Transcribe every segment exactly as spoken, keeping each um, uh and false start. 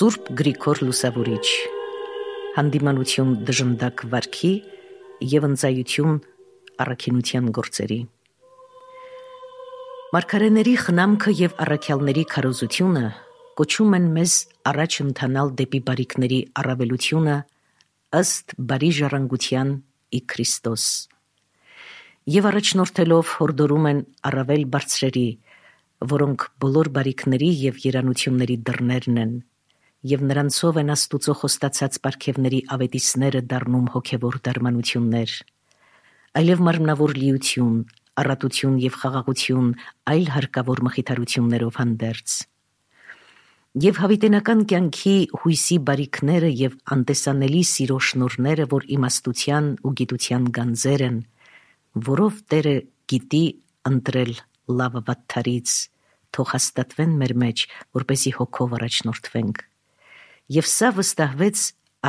Սուրբ Գրիգոր Լուսավորիչ, հանդիմանություն դժնդակ վարքի և ընծայություն առաքինության գործերի։ Մարգարեների խնամքը և առաքյալների քարոզությունը կոչում են մեզ առաջ ընթանալ դեպի բարիքների առավելությունը ըստ բարի ժառանգության ի Քրիստոս, և առաջնորդելով հորդորում են առավել բարձրերի, որոնք բոլոր բարիքների և երանությունների դռներն են, և նրանցով են Աստուծո խոստացած պարգևների ավետիսները դառնում հոգևոր դարմանություններ, այլև մարմնավոր լիություն, առատություն և խաղաղություն այլ հարկավոր մխիթարություններով հանդերձ։ Եվ հավիտենական կյանքի հույսի բարիքները և անտեսանելի սիրո շնորհները, որ իմաստության ու գիտության գանձեր են, որով Տերը գիտի ընտրել լավը վատթարից, թող հաստատվեն մեր մեջ, որպեսզի հոգով առաջնորդվենք։ Եվ սա վստահվեց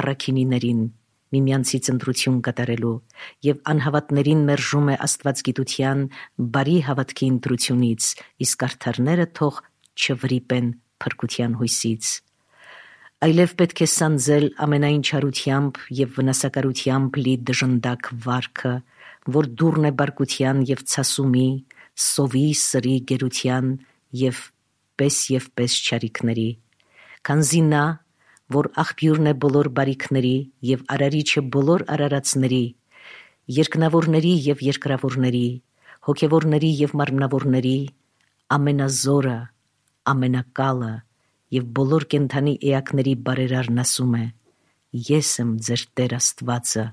առաքինիներին, միմյանցից ընտրություն կատարելու, և անհավատներին մերժում է աստվածգիտության բարի հավատքի ընտրությունից, իսկ արդարները թող չվրիպեն փրկության հույսից։ Այլև պետք է սանձել ամենայն չարությամբ և վնասակարությամբ լի դժնդակ վարքը, որ դուռն է բարկության և ցասումի, սովի, սրի, գերության և պես և պես չարիքների, քանզի նա, որ աղբյուրն է բոլոր բարիքների և արարիչը բոլոր արարածների, երկնավորների և երկրավորների, հոգևորների և մարմնավորների, ամենազորը, ամենակալը և բոլոր կենդանի էակների բարերարն ասում է. «Ես եմ ձեր Տեր Աստվածը,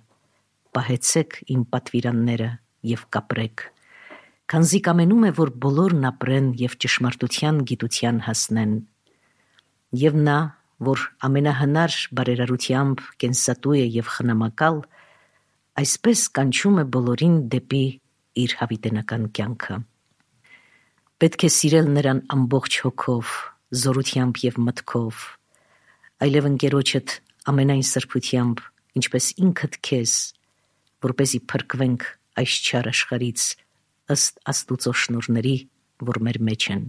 պահեցեք իմ պատվիրանները և կապրեք», քանզի կամենում է, որ բոլորն ապրեն և ճշմարտության գիտության հասնեն։ Եվ նա, որ ամենահնար բարերարությամբ կենսատու է և խնամակալ, այսպես կանչում է բոլորին դեպի իր հավիտենական կյանքը։ Պետք է սիրել նրան ամբողջ հոգով, զորությամբ և մտքով, այլև ընկերոջդ ամենայն սրբությամբ, ինչպես ինքդ քեզ, որպեսզի փրկվենք այս չար աշխարհից ըստ Աստուծո շնորհների, որ մեր մեջ են։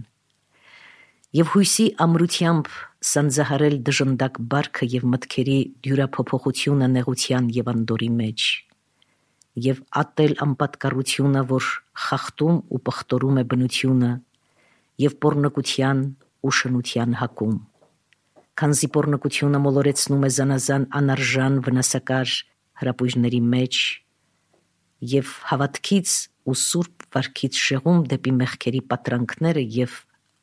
Եվ հույսի ամրությամբ սանձահարել դժնդակ բարքը և մտքերի դյուրափոփոխությունը նեղության և անդորի մեջ, և ատել անպատկառությունը, որ խախտում ու պղտորում է բնությունը, և պոռնկության ու շնության հակում, քանզի պոռնկությունը մոլորեցնում է զանազան անարժան վնասակար հրապույրների մեջ և հավատքից ու սուրբ վարքից շեղում դեպի մեղքերի պատրանքները և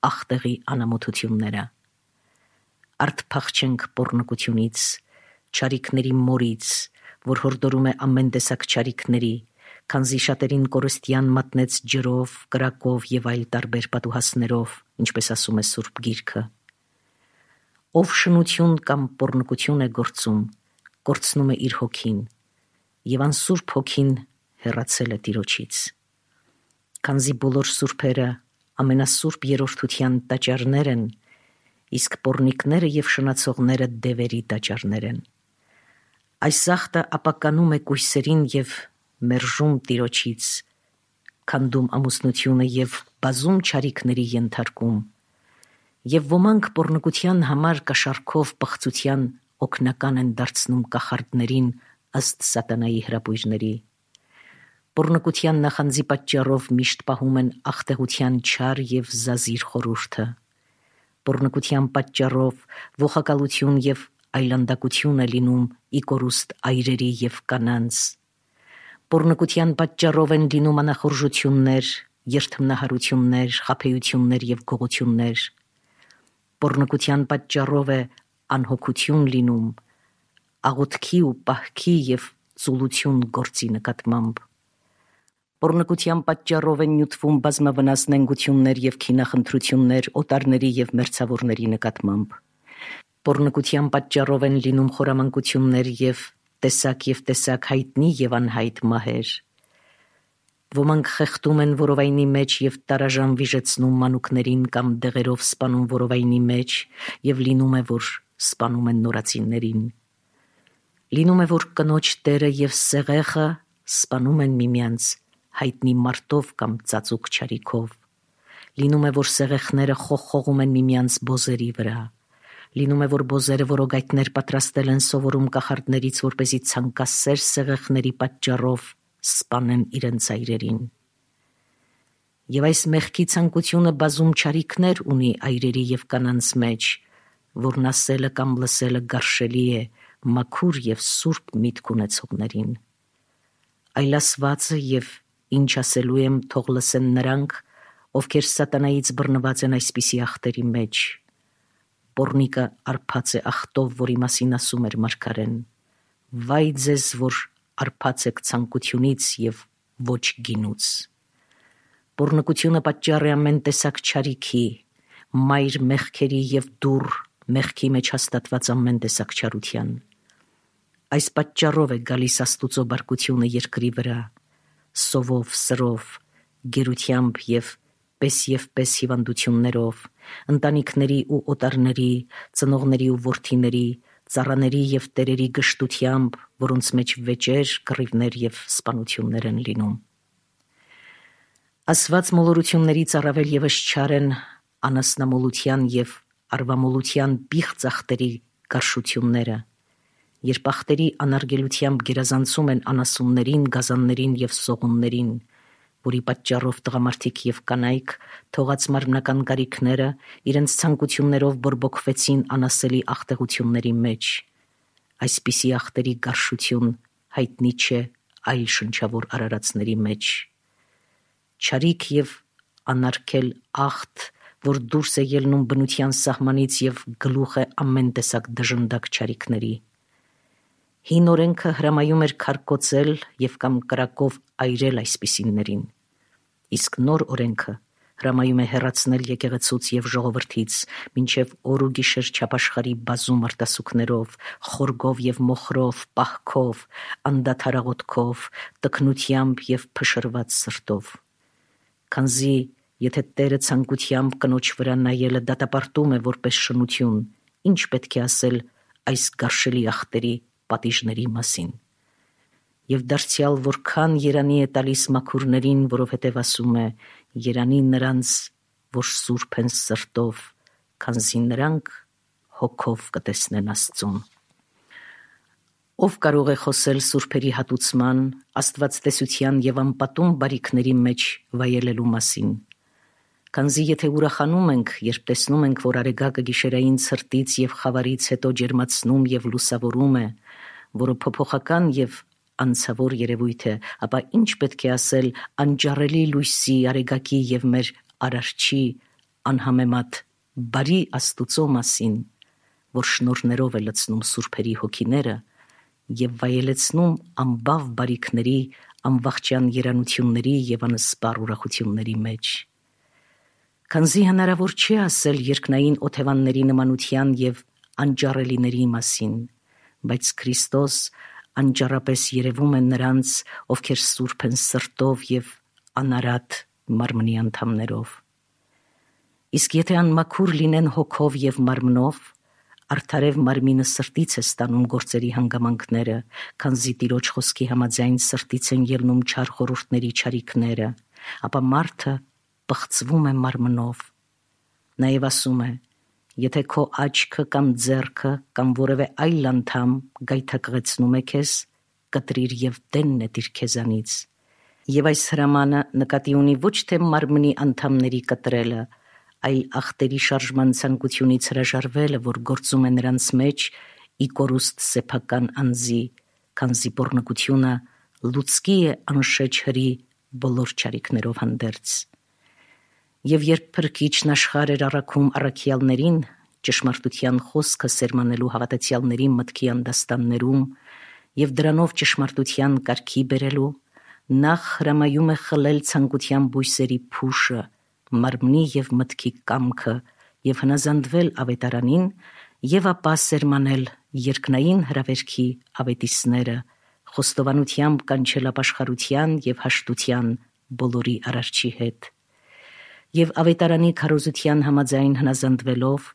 ախտեղի անամոթությունները։ Արդ փախչենք պոռնկությունից, չարիքների մորից, որ հորդորում է ամեն տեսակ չարիքների, քանզի շատերին կորստյան մատնեց ջրով, կրակով և այլ տարբեր պատուհասներով, ինչպես ասում է Սուրբ Գիրքը։ Ով շնություն կամ պոռնկություն է գործում, կորցնում է իր հոգին, և անսուրբ հոգին հեռացել է Տիրոջից։ Քանզի բոլոր սուրբերը ամենասուրբ երրորդության տաճարներ են, իսկ պոռնիկները և շնացողները դևերի տաճարներ են։ Այս ախտը ապականում է կույսերին և մերժում Տիրոջից, քանդում ամուսնությունը և բազում չարիքների ենթարկում, և ոմանք պոռնկության համար կաշառքով պղծության օգնական են դարձնում կախարդներին ըստ սատանայի հրապույրների։ Պոռնկության նախանձի պատճառով միշտ պահում են ախտեղության չար և զազիր խորհուրդը։ Պոռնկության պատճառով ողակալություն և այլանդակություն է լինում ի կորուստ այրերի և կանանց։ Պոռնկության պատճառով են լինում անախորժություններ, երդմնահարություններ, խաբեություններ և գողություններ։ Պոռնկության պատճառով է անհոգություն լինում, աղոթքի ու պահքի և ծուլություն գործի նկատմամբ։ Պոռնկության պատճառով են նյութվում բազմավնաս նենգություններ և քինախնդրություններ օտարների և մերձավորների նկատմամբ։ Պոռնկության պատճառով են լինում խորամանկություններ և տեսակ և տեսակ հայտնի և անհայտ մահեր։ Ոմանք խեղդում են որովայնի մեջ և տարաժան վիժեցնում մանուկներին կամ դեղերով սպանում որովայնի մեջ, և լինում է, որ սպանում են նորածիններին։ Լինում է, որ կնոջ տերը և սեղեղը սպանում են միմյանց հայտնի մարտով կամ ծածուկ չարիքով։ Լինում է, որ սեղեղները խողխողում են միմյանց բոզերի վրա։ Լինում է, որ բոզերը որոգայթներ պատրաստել են սովորում կախարդներից, որպեսզի ցանկասեր սեղեղների պատճառով սպանեն իրենց այրերին։ Եվ այս մեղքի ցանկությունը բազում չարիքներ ունի այրերի եւ կանանց մեջ, որն ասելը կամ լսելը գարշելի է մաքուր եւ սուրբ միտք ունեցողներին։ Այլ ասվածը եւ ինչ ասելու եմ, թող լսեն նրանք, ովքեր սատանայից բռնված են այսպիսի ախտերի մեջ։ Պոռնիկը արփած է ախտով, որի մասին ասում էր մարգարեն. «Վայ ձեզ, որ արփած եք ցանկությունից եւ ոչ գինուց»։ Պոռնկությունը պատճառ է ամեն տեսակ չարիքի, մայր մեղքերի եւ դուռ մեղքի մեջ հաստատված ամեն տեսակ չարության։ Այս պատճառով է գալիս Աստուծո բարկությունը երկրի վրա, սովով, սրով, գերությամբ եւ պես եւ պես հիվանդություններով, ընտանիքների ու օտարների, ծնողների ու որդիների, ծառաների եւ տերերի գշտությամբ, որոնց մեջ վեճեր, կռիվներ եւ սպանություններ են լինում։ Ասված մոլորություններից առավել եւս չար են անասնամոլության եւ արվամոլության բիղծ ախտերի գարշությունները, երբ ախտերի անարգելությամբ գերազանցում են անասուններին, գազաններին եւ սողուններին, որի պատճառով տղամարդիկ եւ կանայք թողած մարմնական գարիքները իրենց ցանկություններով բորբոքվեցին անասելի ախտեղությունների մեջ։ Այսպիսի ախտերի գարշություն հայտնի չէ այլ շնչավոր արարածների մեջ։ Չարիք եւ անարգել ախտ, որ դուրս է ելնում բնության սահմանից եւ գլուխ է ամեն տեսակ դժնդակ չարիքների։ Հին օրենքը հրամայում էր քարկոծել եւ կամ կրակով այրել այսպիսիներին, իսկ նոր օրենքը հրամայում է հեռացնել եկեղեցուց եւ ժողովրդից, մինչեւ օր ու գիշեր չափաշխարի բազում արտասուքներով, խորգով եւ մոխրով, պահքով, անդադարաղոթքով, տքնությամբ եւ փշրված սրտով։ Քանզի եթե Տերը ցանկությամբ կնոջ վրա նայելը դատապարտում է որպես շնություն, ինչ պետք է ասել այս գարշելի ախտերի պատիժների մասին։ Եվ դարձյալ որքան երանի է տալիս մաքուրներին, որովհետև ասում է. երանի նրանց, որ սուրբ են սրտով, քանզի նրանք հոգով կտեսնեն Աստծուն։ Ով կարող է խոսել սուրբերի հատուցման, աստվածտեսության եւ անպատում բարիքների մեջ վայելելու մասին։ Քանզի եթե ուրախանում ենք, երբ տեսնում ենք, որ արեգակը գիշերային ցրտից եւ խավարից հետո ջերմացնում եւ լուսավորում է, որը փոփոխական եւ անցավոր երևույթ է, ապա ինչ պետք է ասել անջառելի լույսի, արեգակի եւ մեր արարչի անհամեմատ բարի Աստուծո մասին, որ շնորհներով է լցնում սուրբերի հոգիները եւ վայելեցնում անբավ բարիքների, անվախճան երանությունների եւ անսպառ ուրախությունների մեջ։ Քանզի հնարավոր չէ ասել երկնային օթևանների նմանության եւ անջառելիների մասին, բայց Քրիստոս անջառապես երևում է նրանց, ովքեր սուրբ են սրտով եւ անարատ մարմնի անդամներով։ Իսկ եթե անմաքուր լինեն հոգով եւ մարմնով, արդարև մարմինը սրտից է ստանում գործերի հանգամանքները, քանզի Տիրոջ խոսքի համաձայն սրտից են ելնում չար խորհուրդների չարիքները, ապա մարդը պղծվում է մարմնով։ Նաև ասում է. եթե քո աչքը կամ ձեռքը կամ որևէ այլ անդամ գայթակղեցնում է քեզ, կտրիր եւ դեն նետիր քեզանից։ Եվ այս հրամանը նկատի ունի ոչ թե մարմնի անդամների կտրելը, այլ ախտերի շարժման ցանկությունից հրաժարվելը, որ գործում է նրանց մեջ ի կորուստ սեփական անձի, քանզի պոռնկությունը լուցկի է անշեջ հրի բոլոր չարիքներով հանդերձ։ Եվ երբ Փրկիչն աշխարհ էր առաքում առաքյալներին, ճշմարտության խոսքը սերմանելու հավատացյալների մտքի անդաստաններում եւ դրանով ճշմարտության կարգի բերելու, նախ հրամայում է խլել ցանկության բույսերի փուշը, մարմնի եւ մտքի կամքը եւ հնազանդվել ավետարանին եւ ապա սերմանել երկնային հրավերքի ավետիսները, խոստովանությամբ կանչել ապաշխարության եւ հաշտության բոլորի արարչի հետ։ Եվ ավետարանի քարոզության համաձայն հնազանդվելով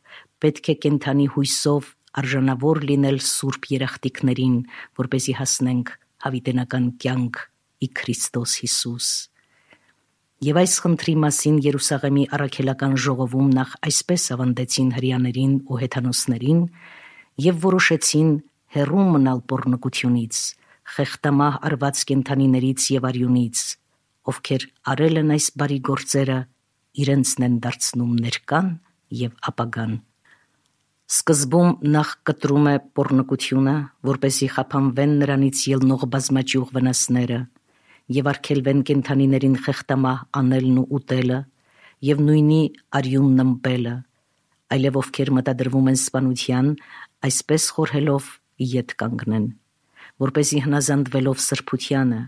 պետք է կենթանի հույսով արժանավոր լինել սուրբ երախտիկներին, որպեսզի հասնենք հավիտենական կյանք ի Քրիստոս Հիսուս։ Եվ այս խնդրի մասին Երուսաղեմի առաքելական ժողովում նախ այսպես ավանդեցին հրեաներին ու հեթանոսներին և որոշեցին հեռու մնալ պոռնկությունից, խեղդամահ արված կենդանիներից և արյունից, ովքեր արել են այս բարի գործերը, իրենցն են դարձնում ներկան և ապագան։ Սկզբում նախ կտրում է պոռնկությունը, որպեսզի խափանվեն նրանից ելնող բազմաճյուղ վնասները և արգելվեն կենդանիներին խեղդամահ անելն ու ուտելը և նույնի արյունն ըմպելը, այլև ովքեր մտադրվում են սպանության, այսպես խորհելով ետ կանգնեն, որպեսզի հնազանդվելով սրբությանը,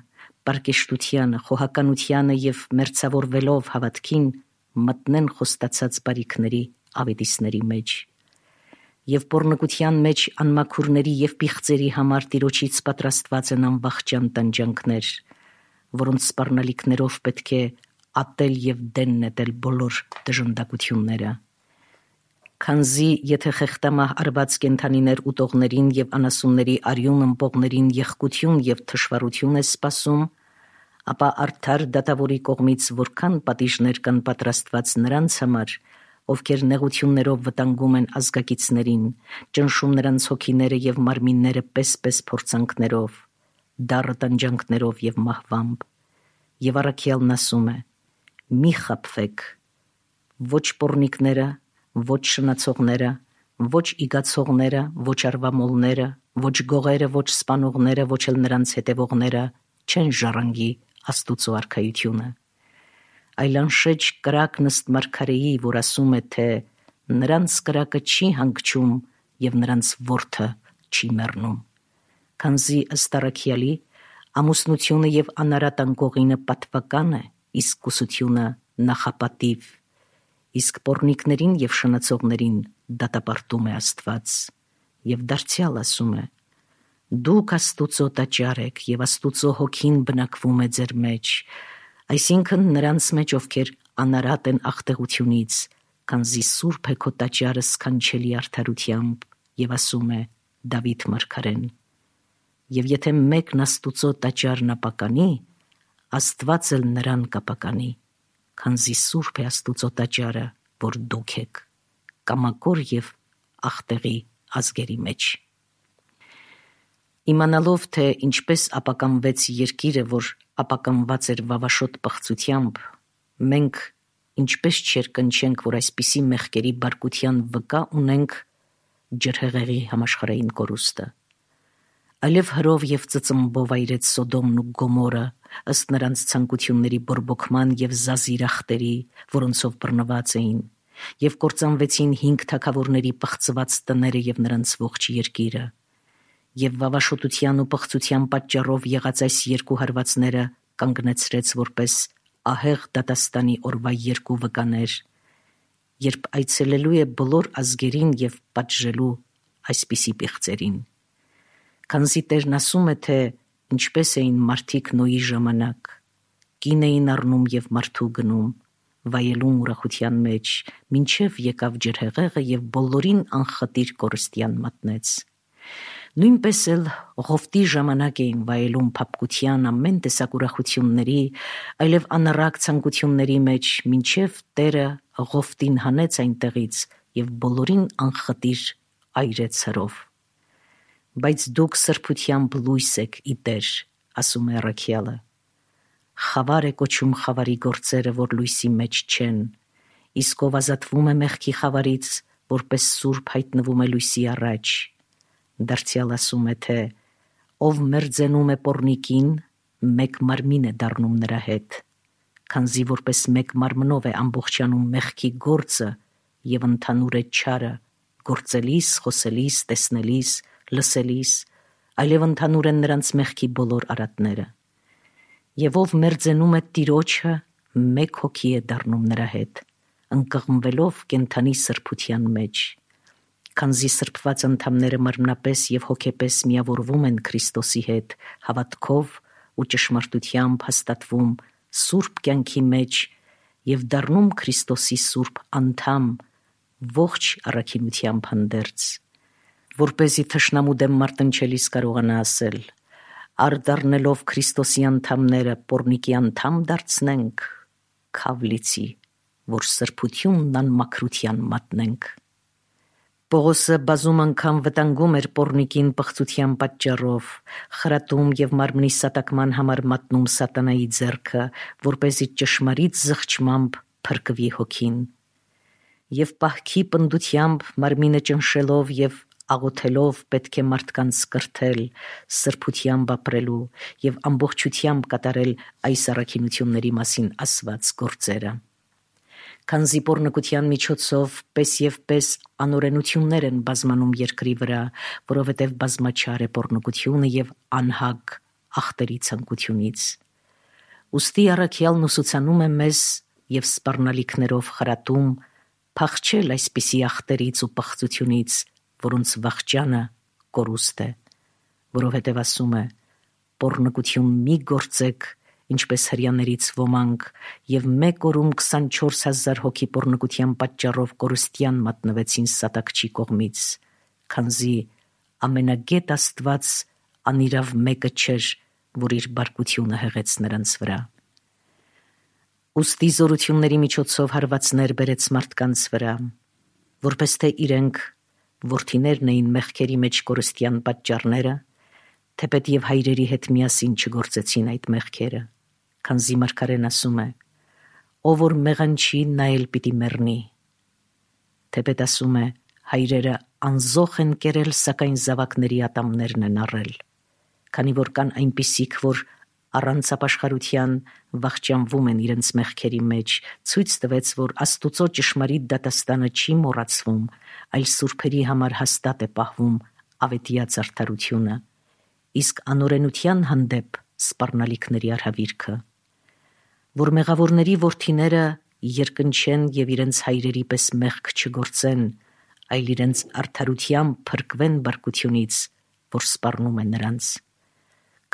պարկեշտությանը, խոհականությանը և մերձավորվելով հավատքին մտնեն խոստացած բարիքների ավետիսների մեջ։ Եվ պոռնկության մեջ անմաքուրների և պիղծերի համար Տիրոջից պատրաստված են անվախճան տանջանքներ, որոնց սպառնալիքներով պետք է ատել և դեն նետել բոլոր դժնդակությունները։ Քանզի եթե խեղդամահ արված կենդանիներ ուտողներին և անասունների արյուն ըմպողներին եղկություն և թշվառություն է սպասում, ապա արդար դատավորի կողմից որքան պատիժներ կան պատրաստված նրանց համար, ովքեր նեղություններով վտանգում են ազգակիցներին, ճնշում նրանց հոգիները և մարմինները պես-պես փորձանքներով, դառը տանջանքներով և մահվամբ։ Եվ առաքյալն ասում է. «Մի խաբվեք, ոչ պոռնիկները, ոչ շնացողները, ոչ իգացողները, ոչ արվամոլները, ոչ գողերը, ոչ սպանողները, ոչ էլ նրանց հետևողները չեն ժառանգի Աստուծո արքայությունը»։ Այլ անշեջ կրակն ըստ մարգարեի, որ ասում է, թե «նրանց կրակը չի հանգչում և նրանց որդը չի մեռնում», քանզի ըստ առաքյալի ամուսնությունը և անարատ անկողինը պատվական է, իսկ կուսությունը նախապատիվ, իսկ պոռնիկներին և շնացողներին դատապարտում է Աստված։ Եվ դարձյալ ասում է. «Դուք Աստուծո տաճար եք, և Աստուծո հոգին բնակվում է ձեր մեջ, այսինքն նրանց մեջ, ովքեր անարատ են աղտեղությունից, քանզի սուրբ է քո տաճարը սքանչելի արդարությամբ», և ասում է Դավիթ մարգարեն։ Եվ եթե մեկն Աստուծո տաճարն ապականի, Աստված էլ նրան կապականի, քանզի սուրբ է Աստուծո տաճարը, որ դուք եք, կամակոր և աղտեղի ազգերի մեջ։ Իմանալով, թե ինչպես ապականվեց երկիրը, որ ապականված էր վավաշոտ պղծությամբ, մենք ինչպես չերկնչենք, որ այսպիսի մեղքերի բարկության վկա ունենք ջրհեղեղի համաշխարհային կորուստը։ Այլև հրով և ծծմբով այրեց Սոդոմն ու Գոմորը, ըստ նրանց ցանկությունների բորբոքման և զազիրախտերի, որոնցով բռնված էին, և կործանվեցին հինգ թագավորների պղծված տները և նրանց ողջ երկիրը։ Եվ վավաշոտության ու պղծության պատճառով եղած այս երկու հարվածները կանգնեցրեց որպես ահեղ դատաստանի օրվա երկու վկաներ, երբ այցելելու է բոլոր ազգերին և պատժելու այսպիսի պիղծերին։ Քանզի Տերն ասում է, թե ինչպես էին մարդիկ Նոյի ժամանակ, կին էին առնում և մարդու գնում, վայելում ուրախության մեջ, մինչև եկավ ջրհեղեղը և բոլորին անխտիր կորստյան մատնեց։ Նույնպես էլ Ղովտի ժամանակ էին վայելում փափկության ամեն տեսակ ուրախությունների, այլև անառակ ցանկությունների մեջ, մինչև Տերը Ղովտին հանեց այնտեղից և բոլորին անխտիր այրեց հրով։ Բայց դուք սրբությամբ լույս եք ի Տեր, ասում է առաքյալը։ Խավար է կոչում խավարի գործերը, որ լույսի մեջ չեն, իսկ ով ազատվում է մեղքի խավարից, որպես սուրբ հայտնվում է լույսի առաջ։ Դարձյալ ասում է, թե ով մերձենում է պոռնիկին, մեկ մարմին է դառնում նրա հետ, քանզի որպես մեկ մարմնով է ամբողջանում մեղքի գործը և ընդհանուր է չարը, գործելիս, խոսելիս, տեսնելիս, լսելիս, այլև ընդհանուր են նրանց մեղքի բոլոր արատները։ Եվ ով մերձենում է Տիրոջը, մեկ հոգի է դառնում նրա հետ, ընկղմվելով կենդանի սրբության մեջ։ Քանզի սրբված անդամները մարմնապես և հոգեպես միավորվում են Քրիստոսի հետ, հավատքով ու ճշմարտությամբ հաստատվում սուրբ կյանքի մեջ և դառնում Քրիստոսի սուրբ անդամ ողջ առաքինությամբ հանդերձ, որպեսզի թշնամու դեմ մարտնչելիս կարողանա ասել. «Առ դառնելով Քրիստոսի անդամները պոռնիկի անդամ դարձնենք, քավլիցի, որ սրբությունն անմաքրության մատնենք։ Պողոսը բազում անգամ վտանգում էր պոռնիկին պղծության պատճառով, խրատում և մարմնի սատակման համար մատնում սատանայի ձեռքը, որպեսզի ճշմարիտ զղջմամբ փրկվի հոգին։ Եվ պահքի պնդությամբ մարմինը ճնշելով և աղոթելով պետք է մարդկանց կրթել, սրբությամբ ապրելու և ամբողջությամբ կատարել այս առաքինությունների մասին ասված գործերը։ Քանզի պոռնկության միջոցով պես և պես անօրենություններ են բազմանում երկրի վրա, որովհետև բազմաչար է պոռնկությունը և անհագ ախտերի ցանկությունից։ Ուստի առաքյալն ուսուցանում է մեզ և սպառնալիքներով խրատում փախչել այսպիսի ախտերից ու պղծությունից, որոնց վախճանը կորուստ է, որովհետև ասում է. «Պոռնկություն մի գործեք, ինչպես հրեաներից ոմանք, և մեկ օրում քսանչորս հազար հոգի պոռնկության պատճառով կորստյան մատնվեցին սատակչի կողմից, քանզի ամենագետ Աստված անիրավ մեկը չէր, որ իր բարկությունը հեղեց նրանց վրա»։ Ուստի զորությունների միջոցով հարվածներ բերեց մարդկանց վրա, որպես թե իրենք որդիներն էին մեղքերի մեջ կորստյան պատճառները, թեպետ և հայրերի հետ միասին չգործեցին այդ մեղքերը, քանզի մարգարեն ասում է. «Ով որ մեղանչի, նա էլ պիտի մեռնի»։ Թեպետ ասում է. «Հայրերը անզոխ են կերել, սակայն զավակների ատամներն են առել»։ Քանի որ կան այնպիսիք, որ առանց ապաշխարության վախճանվում են իրենց մեղքերի մեջ, ցույց տվեց, որ Աստուծո ճշմարիտ դատաստանը չի մոռացվում, այլ սուրբերի համար հաստատ է պահվում ավետյաց արդարությունը, իսկ անօրենության հանդեպ սպառնալիքների արհավիրքը։ Որ մեղավորների որդիները երկնչեն և իրենց հայրերի պես մեղք չգործեն, այլ իրենց արդարությամբ փրկվեն բարկությունից, որ սպառնում է նրանց։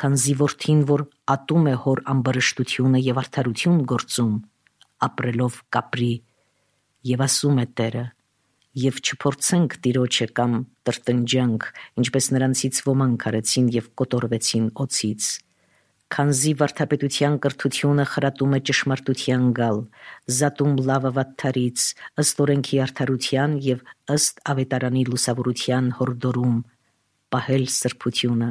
Քանզի որդին, որ ատում է հոր ամբարշտությունը և արդարություն գործում, ապրելով կապրի, և ասում է Տերը. «Եվ չփորձենք Տիրոջը կամ տրտնջանք, ինչպես նրանցից ոմանք արեցին և կոտորվեցին օձից»։ Քանզի վարդապետության կրթությունը խրատում է ճշմարտության գալ, զատում լավը վատթարից, ըստ օրենքի արդարության և ըստ ավետարանի լուսավորության հորդորում, պահել սրբությունը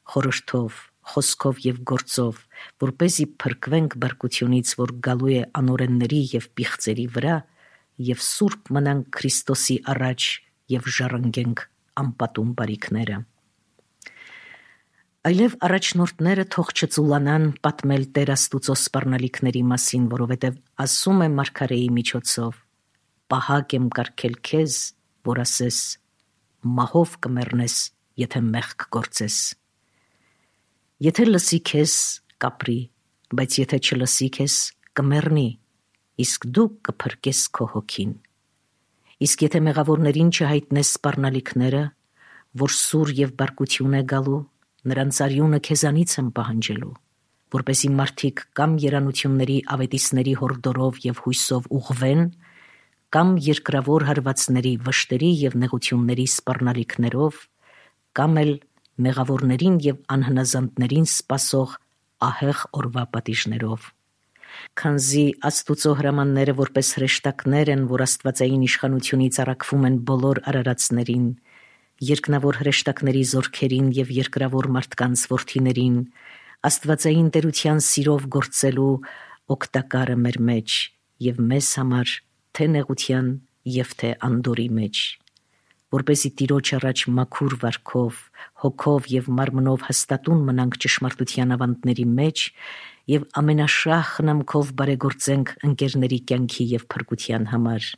խորհրդով, խոսքով և գործով, որպեսզի փրկվենք բարկությունից, որ գալու է անօրենների և պիղծերի վրա, և սուրբ մնանք Քրիստոսի առաջ և ժառանգենք անպատում բարիքները։ Այլև առաջնորդները թող չծուլանան պատմել Տեր Աստուծո սպառնալիքների մասին, որովհետև ասում է մարգարեի միջոցով. «Պահակ եմ կարգել քեզ, որ ասես. մահով կմեռնես, եթե մեղք գործես»։ Եթե լսի քեզ, կապրի, բայց եթե չլսի քեզ, կմեռնի, իսկ դու կփրկես քո հոգին։ Իսկ եթե մեղավորներին չհայտնես սպառնալիքները, որ սուր և բարկություն է գալու, նրանց արյունը քեզանից եմ պահանջելու, որպեսզի մարդիկ կամ երանությունների ավետիսների հորդորով և հույսով ուղղվեն, կամ երկրավոր հարվածների, վշտերի և նեղությունների սպառնալիքներով, կամ էլ մեղավորներին և անհնազանդներին սպասող ահեղ օրվա պատիժներով։ Քանզի Աստուծո հրամանները որպես հրեշտակներ են, որ աստվածային իշխանությունից առաքվում են բոլոր արարածներին, երկնավոր հրեշտակների զորքերին և երկրավոր մարդկանց որդիներին, աստվածային տերության սիրով գործելու օգտակարը մեր մեջ և մեզ համար թե նեղության և թե անդորրի մեջ, որպեսզի Տիրոջ առաջ մաքուր վարքով, հոգով և մարմնով հաստատուն մնանք ճշմարտության ավանդների մեջ և ամենաշահ խնամքով բարեգործենք ընկերների կյանքի և փրկության համար,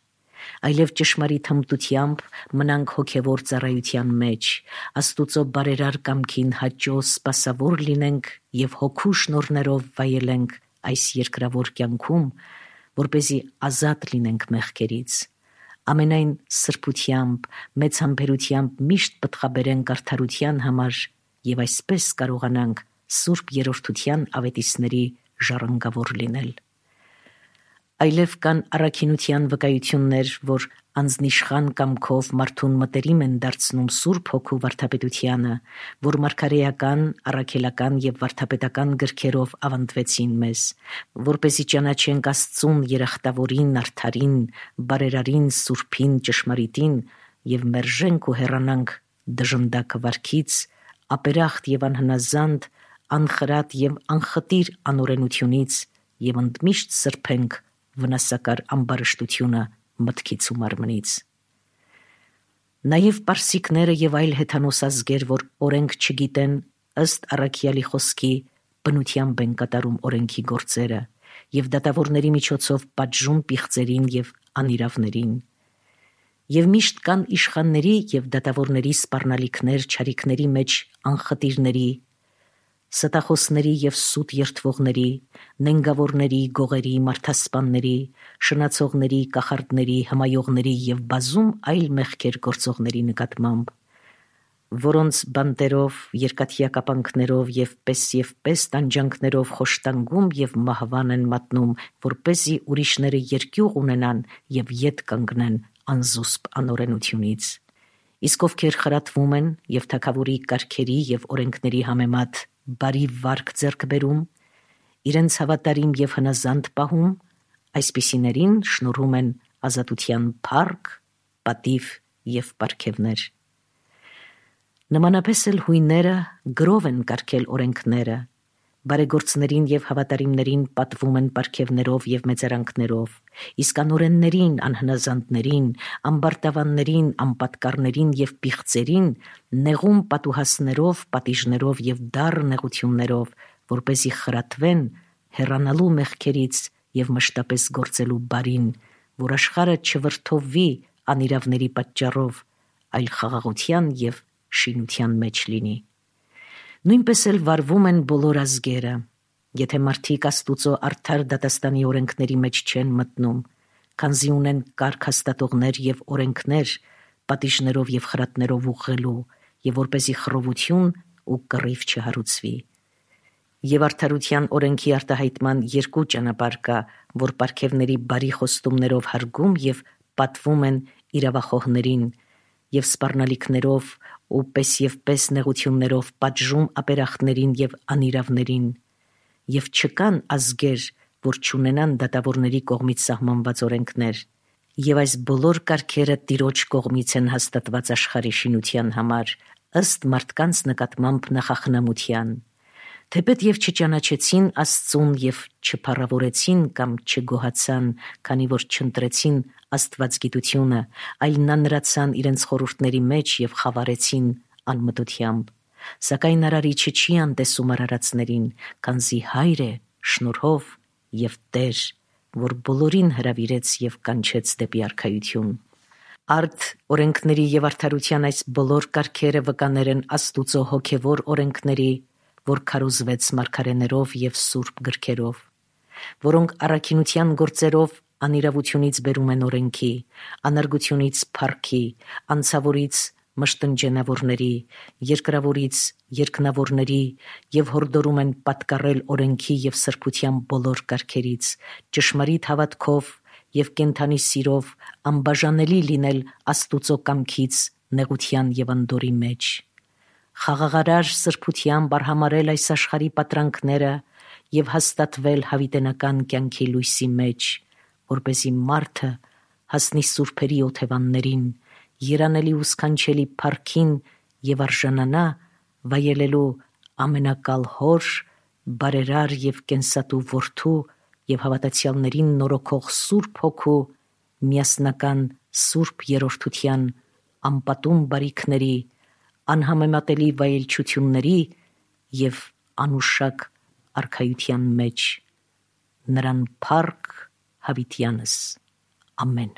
այլև ճշմարիտ հմտությամբ մնանք հոգևոր ծառայության մեջ, Աստուծո բարերար կամքին հաճո սպասավոր լինենք և հոգու շնորհներով վայելենք այս երկրավոր կյանքում, որպեսզի ազատ լինենք մեղքերից, ամենայն սրբությամբ, մեծ համբերությամբ միշտ պտղաբերենք արդարության համար և այսպես կարողանանք սուրբ երրորդության ավետիսների ժառանգավոր լինել։ Այլև կան առաքինության վկայություններ, որ անձնիշխան կամքով մարդուն մտերիմ են դարձնում Սուրբ Հոգու վարդապետությանը, որ մարգարեական, առաքելական եւ վարդապետական գրքերով ավանդվեցին մեզ, որպեսզի ճանաչենք Աստծուն երախտավորին, արդարին, բարերարին, սուրբին, ճշմարիտին եւ մերժենք ու հեռանանք դժնդակ վարքից, ապերախտ եւ անհնազանդ, անխրատ եւ անխտիր անօրենությունից եւ ընդմիշտ սրբենք վնասակար ամբարշտությունը մտքից ու մարմնից։ Նաև պարսիկները եւ այլ հեթանոս ազգեր, որ օրենք չգիտեն, ըստ առաքյալի խոսքի բնությամբ են կատարում օրենքի գործերը եւ դատավորների միջոցով պատժում պիղծերին եւ անիրավներին։ Եվ միշտ կան իշխանների եւ դատավորների սպառնալիքներ չարիքների մեջ անխտիրների, ստախոսների եւ սուտ երթվողների, նենգավորների, գողերի, մարդասպանների, շնացողների, կախարդների, հմայողների եւ բազում այլ մեղքեր գործողների նկատմամբ, որոնց բանտերով, երկաթյա կապանքներով եւ պես եւ պես տանջանքներով խոշտանգում եւ մահվան են մատնում, որպեսզի ուրիշները երկյուղ ունենան եւ ետ կանգնեն անզուսպ անօրենությունից։ Իսկ ովքեր խրատվում են եւ թագավորի կարգերի եւ օրենքների համեմատ բարի վարք ձեռք բերում, իրենց հավատարիմ եւ հնազանդ պահում, այսպիսիներին շնորհում են ազատության փառք, պատիվ եւ պարգևներ։ Նմանապես էլ հույները գրով են կարգել օրենքները, բարեգործներին եւ հավատարիմներին պատվում են պարգևներով եւ մեծարանքներով, իսկ անօրեններին, անհնազանդներին, ամբարտավաններին, անպատկառներին եւ պիղծերին նեղում պատուհասներով, պատիժներով եւ դառ նեղություններով, որպեսզի խրատվեն հեռանալու մեղքերից եւ մշտապես գործելու բարին, որ աշխարհը չվրդովվի անիրավների պատճառով, այլ խաղաղության եւ շինության մեջ լինի։ Նույնպես էլ վարվում են բոլոր ազգերը, եթե մարդիկ Աստուծո արդար դատաստանի օրենքների մեջ չեն մտնում, քանզի ունեն կարգ հաստատողներ եւ օրենքներ, պատիժներով եւ խրատներով ուղղելու, եւ որպեսզի խռովություն ու կռիվ չհարուցվի։ Եվ արդարության օրենքի արտահայտման երկու ճանապարհ կա, որ պարգևների բարի խոստումներով հարգում եւ պատվում են իրավախոհներին, եւ սպառնալիքներով ու պես եւ պես նեղություններով պատժում ապերախտներին եւ անիրավներին, եւ չկան ազգեր, որ չունենան դատավորների կողմից սահմանված օրենքներ, եւ այս բոլոր կարգերը Տիրոջ կողմից են հաստատված աշխարհի շինության համար, ըստ մարդկանց նկատմամբ նախախնամության, թեպետ եւ չճանաչեցին Աստծուն եւ չփառավորեցին կամ չգոհացան, քանի որ չընտրեցին Աստվածգիտությունը, այլ նանրացան իրենց խորհուրդների մեջ եւ խավարեցին անմտությամբ, սակայն արարիչը չի անտեսում արարածներին, քանզի Հայր է շնորհով եւ Տեր, որ բոլորին հրավիրեց եւ կանչեց դեպի արքայություն։ Արդ օրենքների եւ արդարության այս բոլոր կարգերը վկաներ են Աստուծո հոգեվոր օրենքների, որ քարոզվեց մարգարեներով եւ սուրբ գրքերով, որոնք առաքինության գործերով անիրավությունից բերում են օրենքի, անարգությունից փառքի, անցավորից մշտնջենավորների, երկրավորից երկնավորների եւ հորդորում են պատկառել օրենքի եւ սրբության բոլոր կարգերից, ճշմարիտ հավատքով եւ կենթանի սիրով անբաժանելի լինել Աստուծո կամքից նեղության եւ անդորի մեջ, խաղաղարար սրբությամբ արհամարել այս աշխարհի պատրանքները եւ հաստատվել հավիտենական կյանքի լույսի մեջ, որպեսզի մարդը հասնի սուրբերի օթևաններին, երանելի ու սքանչելի փառքին եւ արժանանա վայելելու ամենակալ Հոր, բարերար եւ կենսատու Որդու եւ հավատացյալներին նորոգող Սուրբ Հոգու միասնական սուրբ երրորդության անպատում բարիքների, անհամեմատելի վայելչությունների եւ անուշակ արքայության մեջ, նրան փառք հավիտյանս, ամեն։